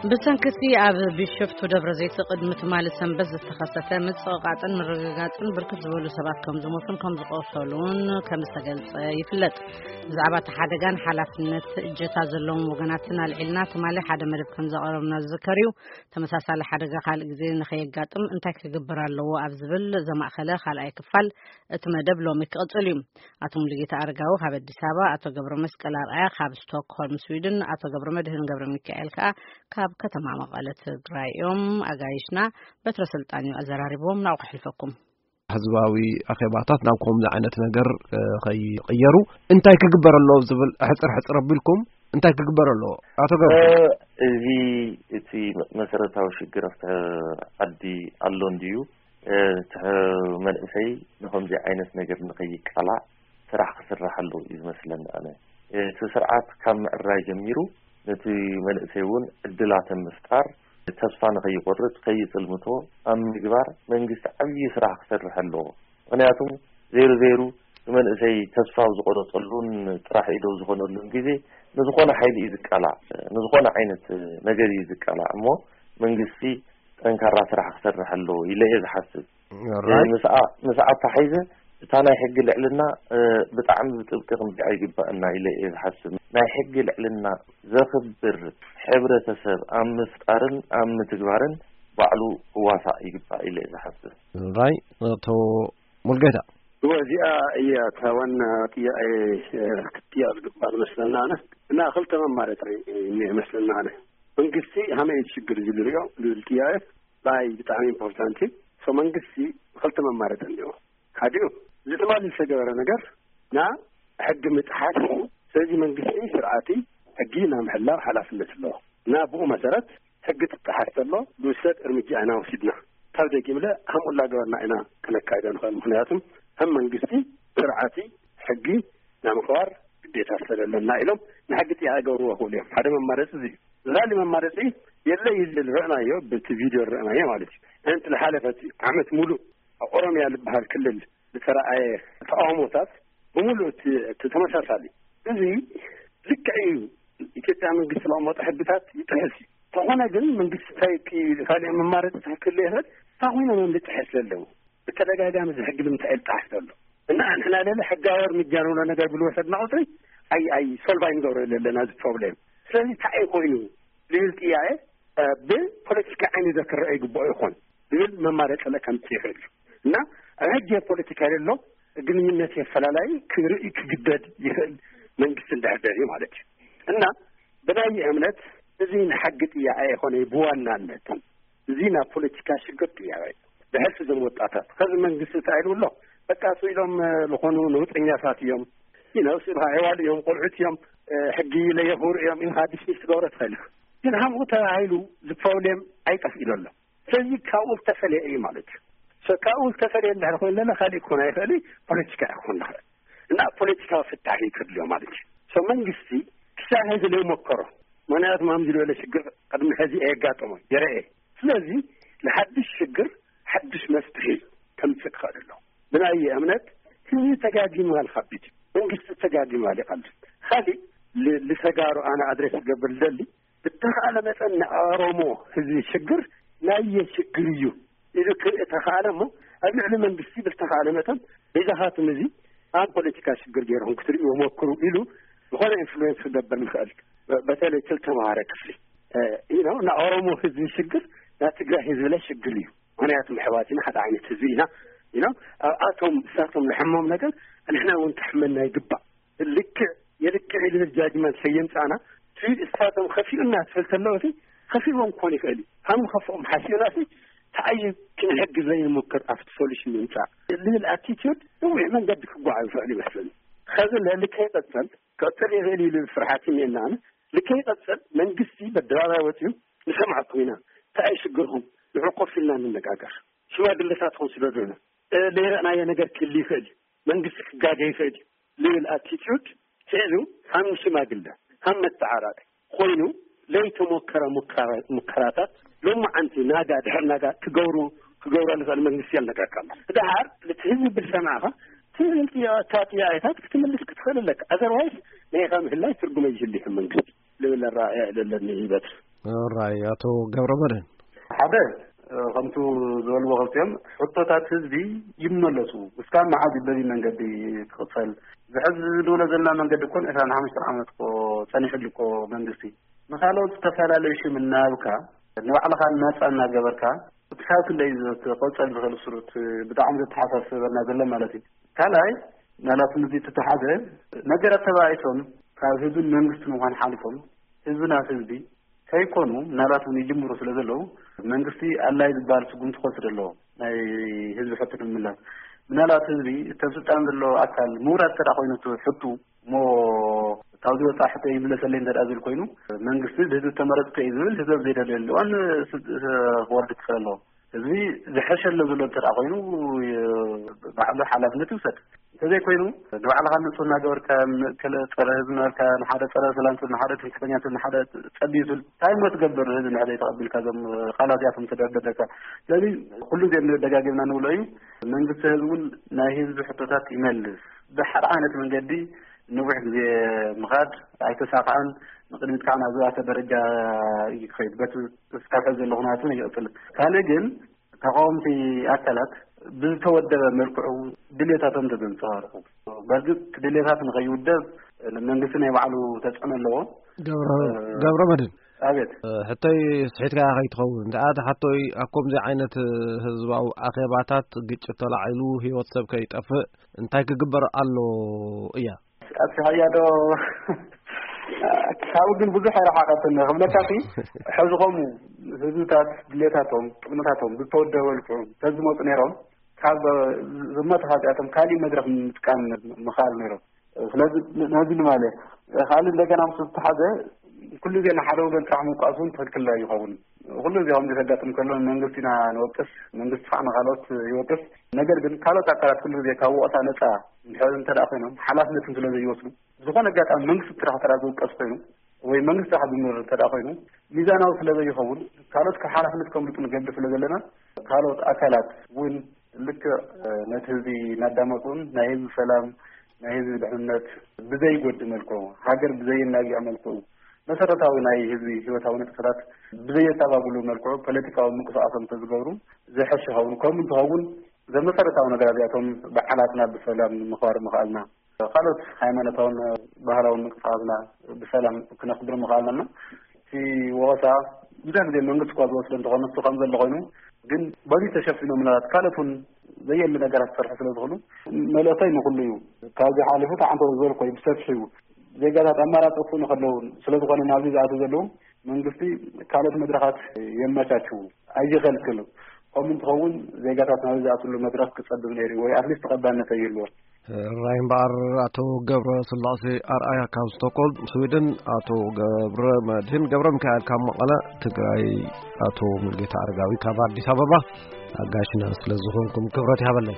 ብሰንክቲ ኣብ ቢሾፍቱ ደብረ ዘይት ቅድሚ ትማሊ ሰንበት ዝተኸሰተ ምጽቕቓጥን ምርግጋጽን ብርክት ዝበሉ ሰባት ከም ዝሞቱን ከም ዝቆሰሉን ከም ዝተገልጸ ይፍለጥ። ብዛዕባ እቲ ሓደጋን ሓላፍነት እጀታ ዘለዎም ወገናትን ኣልዒልና ትማሊ ሓደ መደብ ከም ዘቐረብና ዝዝከር እዩ። ተመሳሳሊ ሓደጋ ካልእ ግዜ ንኸየጋጥም እንታይ ክግበር ኣለዎ ኣብ ዝብል ዘማእኸለ ካልኣይ ክፋል እቲ መደብ ሎሚ ክቕጽል እዩ። ኣቶ ሙሉጌታ ኣረጋዊ ካብ ኣዲስ ኣበባ፣ ኣቶ ገብረ መስቀል ኣርኣያ ካብ ስቶክሆልም ስዊድን፣ ኣቶ ገብረ መድህን ገብረ ሚካኤል ከኣ ካብ ከተማ መቐለ ትግራይ እዮም። ኣጋይሽና በትረ ስልጣን እዩ ኣዘራሪብዎም። ናብኡ ከሕልፈኩም። ህዝባዊ ኣኼባታት ናብ ከምዚ ዓይነት ነገር ከይቕየሩ እንታይ ክግበር ኣለዎ ዝብል ሕጽር ሕጽር ኣቢልኩም እንታይ ክግበር ኣለዎ? ኣቶ ገብረ እዚ እቲ መሰረታዊ ሽግር ኣብቲ ዓዲ ኣሎ እንድዩ። እቲ መንእሰይ ንኸምዚ ዓይነት ነገር ንኸይቃላዕ ስራሕ ክስራሕ ኣለዎ እዩ ዝመስለኒ። ኣነ እቲ ስርዓት ካብ ምዕራይ ጀሚሩ ነቲ መንእሰይ እውን ዕድላት ኣብ ምፍጣር፣ ተስፋ ንኸይቆርጽ ከይጽልምቶ ኣብ ምግባር መንግስቲ ዓብዪ ስራሕ ክሰርሕ ኣለዎ። ምኽንያቱም ዘይሩ ዘይሩ ንመንእሰይ ተስፋ ኣብ ዝቆረጸሉን ጥራሕ ኢዶ ዝኾነሉን ግዜ ንዝኾነ ሓይሊ እዩ ዝቃላዕ፣ ንዝኾነ ዓይነት ነገር እዩ ዝቃላዕ። እሞ መንግስቲ ጠንካራ ስራሕ ክሰርሕ ኣለዎ ኢለ እየ ዝሓስብ። ምስኣ ምስኣ ኣተሓይዘ እታ ናይ ሕጊ ልዕልና ብጣዕሚ ብጥብቂ ክንሪኣ ይግባእና ኢለ እየ ዝሓስብ። ናይ ሕጊ ልዕልና ዘኽብር ሕብረተሰብ ኣብ ምፍጣርን ኣብ ምትግባርን ባዕሉ ክዋሳእ ይግባእ ኢለ እየ ዝሓስብ። ራይ ኣቶ ሙልጌታ እወ እዚኣ እያ እታ ዋና ጥያቄ ክትጥየቅ ዝግባእ ዝመስለና ኣነ እና ክልተ መማረፂ እኒኦ ይመስለና ኣነ መንግስቲ ሃመይ እዩ ሽግር እዚ ዝሪኦ ዝብል ጥያቄ ብኣይ ብጣዕሚ ኢምፖርታንት እዩ ሶ መንግስቲ ክልተ መማረፂ እኒኦ ሓዲኡ እዚ ትማሊ ዝተገበረ ነገር ና ሕጊ ምጥሓስ እዩ ስለዚ መንግስቲ ስርዓቲ ሕጊ ና ምሕላው ሓላፍነት ኣለዎ እና ብኡ መሰረት ሕጊ ትጠሓስ ተሎ ዝውሰድ እርምጃ ኢና ወሲድና ካብ ደጊምለ ከምኡ እናገበርና ኢና ክነካይዶ ንኽእል ምኽንያቱም ከም መንግስቲ ስርዓቲ ሕጊ ናይ ምኽባር ግዴታ ስለዘለና ኢሎም ንሕጊ ጥያቄ ገብርዎ ክብሉ እዮም ሓደ መማረፂ እዚ እዩ ዝላሊ መማረፂ የለ ይልል ርዕናዮ በቲ ቪድዮ ርዕናዮ ማለት እዩ እንት ዝሓለፈት ዓመት ሙሉእ ኣብ ኦሮሚያ ዝበሃል ክልል ዝተረኣየ ተቃውሞታት ብምሉእ እቲ ተመሳሳሊ እዚ ልክዕ እዩ ኢትዮጵያ መንግስቲ ዘቐመጦ ሕግታት ይጥሕስ እዩ ተኾነ ግን መንግስቲ እንታይ ካልእ መማረፂ ትክክል ይኽእል እንታይ ኮይኖም እዮም ዝጥሕስ ዘለዉ ብተደጋጋሚ እዚ ሕጊ ንምንታይ ይጣሕስ ዘሎ እና ንሕና ለለ ሕጋዊ እርምጃ ንብሎ ነገር ብልወሰድና ቁፅሪ ኣይ ኣይ ሶልቭ ኣይንገብሮ ዘለና እዚ ፕሮብሌም ስለዚ እንታይ እዩ ኮይኑ ዝብል ጥያቄ ብፖለቲካ ዓይኒ ዘክረአ ይግብኦ ይኾን ዝብል መማረፂ ለ ከምፅእ ይኽእል እዩ እና ኣብ ሕጂ ፖለቲካ የሎ ግንኙነት የፈላላይ ክርኢ ክግደድ ይኽእል መንግስቲ እንዳሕደር እዩ ማለት እዩ እና ብናይ እምነት እዚ ንሓጊ ጥያቄ የኾነ ብዋናነት እዚ ናብ ፖለቲካ ሽግር ጥያቄ እዩ ብሕልፊ ዞም ወጣታት ከዚ መንግስቲ እንታይ ኢሉ ኣሎ በቃ እሱ ኢሎም ዝኾኑ ነውጠኛታት እዮም ይነው ስብሃ ዕዋል እዮም ቆልዑት እዮም ሕጊ ለየኽብሩ እዮም ኢልካ ዲስሚስ ትገብሮ ትኽእል ኢኻ ግን ሃምኡ ተባሂሉ ዝፕሮብሌም ኣይጠፍኢሉ ኣሎ ስለዚ ካብኡ ዝተፈለየ እዩ ማለት እዩ ካብኡ ዝተፈለየ እንድሕር ኮይኑ ለና ካሊእ ክኾን ኣይኽእል ፖለቲካ ክኾን ንኽእል እና ፖለቲካዊ ፍታሒ ክድልዮ ማለት እዩ መንግስቲ ክሳብ ሕዚ ለይሞከሮ ምክንያቱ ማምዚ ዝበለ ሽግር ቅድሚ ሕዚ ኣየጋጠሞ የረኤ ስለዚ ንሓድሽ ሽግር ሓድሽ መፍትሒ ከምፅእ ክኽእል ኣሎ ብናየ እምነት ህዝቢ ተጋጊሙ ኣልካቢት መንግስቲ ተጋጊሙ ኣሊቃሉ ካሊእ ልተጋሩ ኣነ ኣድሬስ ዝገብር ልደሊ ብተኻእለ መጠን ንኦሮሞ ህዝቢ ሽግር ናየ ሽግር እዩ ኢሉ ክርኢ ተኻእለ እሞ ኣብ ልዕሊ መንግስቲ ብልተኻእለ መጠን በይዛኻትም እዚ ኣብ ፖለቲካ ሽግር ገይርኹም ክትርእይዎ ሞክሩ ኢሉ ዝኾነ ኢንፍሉዌንስ ክገብር ንኽእል በተለይ ክልተ መሃረ ክፍሊ you know ንኦሮሞ ህዝቢ ሽግር ናይ ትግራይ ህዝቢ ለ ሽግር እዩ ምክንያቱ ኣሕዋትና ሓደ ዓይነት ህዝቢ ኢና you know ኣብኣቶም እሳቶም ዝሕሞም ነገር ንሕና እውን ክሕመና ይግባእ ልክዕ የልክዕ ኢሉ ጃጅመንት ከየምፃና ትብል እሳቶም ከፊኡና ትብል ተለዎ ከፊእዎም ክኾን ይኽእል እዩ ካብ ንኸፍኦም ሓሲብና ተኣይ ክንሕግዘ ይንምክር ኣብቲ ሶሉሽን ንምፃእ ዝብል ኣቲቲዩድ ነዊሕ መንገዲ ክጓዓዝ ይኽእል ይመስለኒ ከዚ ልዕሊ ከይቐፀል ክቐፅል ይኽእል ኢሉ ፍርሓት እኒአና ኣነ ልከይቐፅል መንግስቲ በደባባይ ወፂኡ ንሰምዓኩም ኢና እንታይ ሽግርኩም ንዑ ኮፍ ኢልና ንነጋገር ሽማግለታት ኮን ስደዱና ለይረእናዮ ነገር ክህሉ ይኽእል እዩ መንግስቲ ክጋገ ይኽእል እዩ ዝብል ኣቲቲዩድ ሒዙ ከም ሽማግለ ከም መተዓራቂ ኮይኑ ለይተሞከረ ሙከራታት ሎማዓንቲ ናጋ ድሕር ናጋ ክገብሩ ክገብሮ ንኽእል መንግስቲ የልነገርካ ኣሎ ድሓር እቲ ህዝቢ ብል ሰማዕኻ ትልልቲ ጥያቄታት ክትምልስ ክትኽእል ኣለካ። ኣዘርዋይስ ናይ ኢኻ ምህላይ ትርጉም ኣይህልሽን መንግስቲ ልብል ኣረኣእያ ኣለኒ ይበል። ራይ ኣቶ ገብረ መድህን። ሓደ፣ ከምቱ ዝበልዎ ክልቲኦም ሕቶታት ህዝቢ ይመለሱ። እስካብ መዓዝ በዚ መንገዲ ክቕፀል? ዝሕዚ ንብሎ ዘለና መንገዲ እኮ ን ዕስራን ሓሙሽተን ዓመት እኮ ፀኒሕሉ እኮ መንግስቲ። ንኻልኦት ዝተፈላለዩ ሽም እናሃብካ ንባዕልኻ ናፃ እናገበርካ ክሳብ ክንደይ እዩ ዘት-፣ ክቕፀል ዝኽእል ስሩት ብጣዕሚ ዘተሓሳስበና ዘሎ ማለት እዩ። ካልኣይ፣ ናላትም እዚ እተተሓዘ ነገራት ተባኢሶም ካብ ህዝብን መንግስትን ምዃን ሓሊፎም ህዝብና ህዝቢ ከይኮኑ ናላትም ይጅምሩ ስለ ዘለዉ መንግስቲ ኣላይ ዝበሃል ስጉምቲ ክወስድ ኣለዎ። ናይ ህዝቢ ሕቶ ንምምላስ ምናልባት ህዝቢ እተብ ስልጣን ዘሎ ኣካል ምውራድ ተዳ ኮይኑ እቲ ሕቱ እሞ ካብዚ ወፃ ሕቶ ይምለሰለይ እንተ ዝብል ኮይኑ መንግስቲ ህዝቢ ተመረፅኩ እዩ ዝብል ህዝብ ዘይደለየሉ እዋን ክወርድ ክኽእል ኣለዎ። ህዝቢ ዝሐሸ ኣሎ ዘሎ እንተ ኮይኑ ባዕሉ ሓላፍነት ይውሰድ። እንተዘይኮይኑ ንባዕልኻ ንፁህ እናገበርካ ከለ ፀረ ህዝቢ ነበርካ ንሓደ ፀረ ሰላም ትብል ንሓደ ትምክሕተኛ ትብል ንሓደ ፀቢዩ ትብል እንታይ እሞ ትገብር ህዝቢ ንሕደ ተቐቢልካ እዞም ቃላት እዚኣቶም ተደርደረካ። ስለዚ ኩሉ ዜ ደጋጊምና ንብሎ እዩ። መንግስቲ ህዝቢ እውን ናይ ህዝቢ ሕቶታት ይመልስ። ብሓደ ዓይነት መንገዲ ንዊሕ ግዜ ምኻድ ኣይተሳካዕን። ንቕድሚት ከዓ ናብ ዝበኣሰ ደረጃ እዩ ክኸይድ። በቲ እስካብ ሕዚ ዘሎ ኩነታት እውን ይቕፅል። ካልእ ግን ተቃወምቲ ኣካላት ብዝተወደበ መልክዑ ድሌታቶም ተዘንፀባርቁ። በእርግጥ ድሌታት ንኸይውደብ መንግስቲ ናይ ባዕሉ ተፅዕኖ ኣለዎ። ገብረ መድን ኣቤት። ሕቶይ ስሒትካ ከይትኸውን እንተኣ ሓቶይ ኣብ ከምዚ ዓይነት ህዝባዊ ኣኼባታት ግጭት ተላዒሉ ህይወት ሰብ ከይጠፍእ እንታይ ክግበር ኣሎ እያ? ኣስፍሓያ ዶ ካብኡ ግን ብዙሕ ኣይረሓቐትን ክብለካ ሲ ሕዚ ከምኡ ህዝብታት ድሌታቶም ጥቕምታቶም ዝተወደበ ልክዑ ተዝመፁ ነይሮም ካብ ዝመቱ ኻዚኣቶም ካሊእ መድረኽ ምጥቃም ምኽኣል ነይሮም። ስለዚ ነዚ ንማለ ካልእ እንደገና ምስ ዝተሓዘ ኩሉ ግዜ ንሓደ ወገን ጥራሕ ምውቃስ እውን ትኽክል ኣይኸውን። ኩሉ ግዜ ከምዚ ከጋጥም ከሎ መንግስቲ ኢና ንወቅስ፣ መንግስቲ ከዓ ንካልኦት ይወቅስ። ነገር ግን ካልኦት ኣካላት ኩሉ ግዜ ካብ ወቀሳ ነፃ እንድሕር እንተ ደኣ ኮይኖም ሓላፍነትን ስለ ዘይወስዱ ዝኾነ ኣጋጣሚ መንግስቲ ጥራሕ ጥራሕ ዝውቀስ ኮይኑ ወይ መንግስቲ ጥራሕ ዝምርር እንተ ደኣ ኮይኑ ሚዛናዊ ስለ ዘይኸውን ካልኦት ካብ ሓላፍነት ከምልጡ ንገብር ስለ ዘለና ካልኦት ኣካላት እውን ልክዕ ነቲ ህዝቢ እናዳመፁን ናይ ህዝቢ ሰላም ናይ ህዝቢ ድሕንነት ብዘይጎድ መልክዑ ሃገር ብዘየናግዕ መልክዑ መሰረታዊ ናይ ህዝቢ ህይወታዊ ንጥፈታት ብዘየተባብሉ መልክዑ ፖለቲካዊ ምንቅስቃሶም እንተዝገብሩ ዝሐሽ ይኸውን። ከምኡ እንትኸውን እዞም መሰረታዊ ነገራት እዚኣቶም በዓላትና ብሰላም ንምኽባር ምኽኣልና፣ ካልኦት ሃይማኖታውን ባህላውን ምንቅስቃሳትና ብሰላም ክነኽብር ምኽኣልና። እቲ ወቐሳ ብዙሕ ግዜ መንግስቲ እኳ ዝወስዶ እንተኾነ ንሱ ከም ዘሎ ኮይኑ ግን በዚ ተሸፊኖም ምናልባት ካልኦት እውን ዘየድሊ ነገራት ክሰርሑ ስለ ዝኽእሉ መልእኽተይ ንኹሉ እዩ። ካብዚ ሓሊፉ እቲ ዓንተ ዝበልኮ እዩ ብሰፊሑ ዜጋታት ኣማራፂ ክኾኑ ከለዉ ስለ ዝኾነ ናብዚ ዝኣትዉ ዘለዉ መንግስቲ ካልኦት መድረኻት የመቻችዉ ኣይኸልክሉ። ከምኡ እንትኸውን ዜጋታት ናብዚ ዝኣትሉ መድረኽ ክፀብብ ነይሩ ወይ ኣትሊስት ተቐባልነት ኣይህልዎ። ራይ እምበኣር ኣቶ ገብረ ስላሴ ኣርኣያ ካብ ስቶኮልም ስዊድን፣ ኣቶ ገብረ መድህን ገብረ ሚካኤል ካብ መቐለ፣ ትግራይ ኣቶ ሙልጌታ ኣረጋዊ ካብ ኣዲስ ኣበባ ኣጋሽና ስለ ዝኾንኩም ክብረት ይሃበለይ።